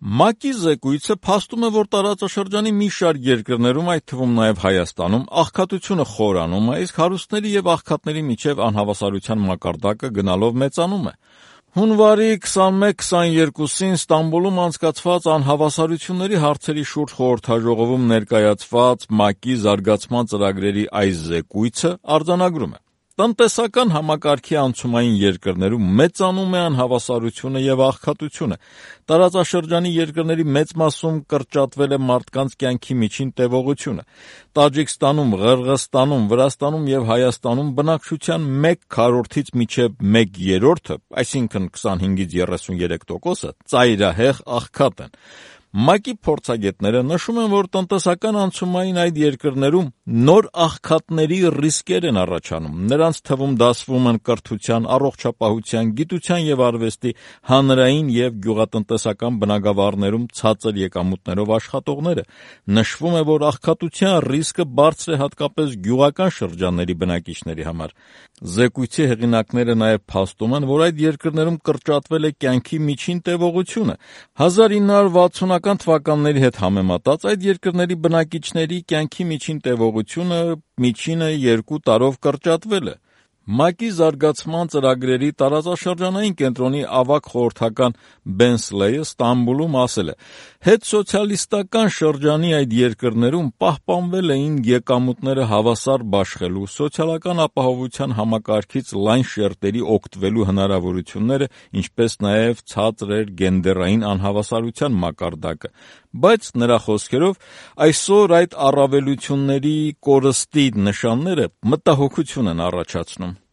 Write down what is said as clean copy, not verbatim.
ՄԱԿ-ի զեկույցը փաստում է, որ տարածաշրջանի մի շարք երկրներում, այդ թվում նաև Հայաստանում, աղքատությունը խորանում է, իսկ հարուստների և աղքատների միջև անհավասարության մակարդակը գնալով մեծանում է։ Հունվարի 21-22-ին Ստամբուլում անցկացված անհավասարությունների հարցերի շուրջ խորհրդաժողովում ներկայացված ՄԱԿ-ի զարգացման ծրագրերի այս զեկույցը արձանագրում է. տնտեսական համակարգի անցումային երկրներում մեծանում է անհավասարությունը և աղքատությունը։ Տարածաշրջանի երկրների մեծ մասում կրճատվել է մարդկանց կյանքի միջին տևողությունը։ Տաջիկստանում, Ղրղըզստանում, Վրաստանում և Հայաստանում բնակչության 1/4-ից մինչև 1/3, այսինքն 25-ից 33%, ծայրահեղ աղքատ են։ ՄԱԿ-ի փորձագետները նշում են, որ տնտեսական անցումային այդ երկրներում նոր աղքատների ռիսկեր են առաջանում։ Նրանց թվում դասվում են կրթության, առողջապահության, գիտության և արվեստի, հանրային և գյուղատնտեսական բնագավառներում ցածր եկամուտներով աշխատողները։ Նշվում է, որ աղքատության ռիսկը բարձր է հատկապես գյուղական շրջանների բնակիչների համար։ Զեկույցի հեղինակները նաև փաստում են, որ այդ երկրներում կրճատվել է կյանքի միջին տևողությունը։ 1960-ական թվականների հետ համեմատած այդ երկրների բնակիչների կյանքի միջին տևողությունը միջինը 2 տարով կրճատվել է։ ՄԱԿ-ի զարգացման ծրագրերի տարածաշրջանային կենտրոնի ավագ խորհրդական Բեն Սլեյը Ստամբուլում ասել է. հետսոցիալիստական շրջանի այդ երկրներում պահպանվել էին եկամուտները հավասար բաշխելու, սոցիալական ապահովության համակարգից լայն շերտերի օգտվելու հնարավորությունները, ինչպես նաև ցածր էր գենդերային անհավասարության մակարդակը, բայց նրա խոսքերով այսօր այդ առավելությունների կորստի նշանները մտահոգություն են առաջացնում։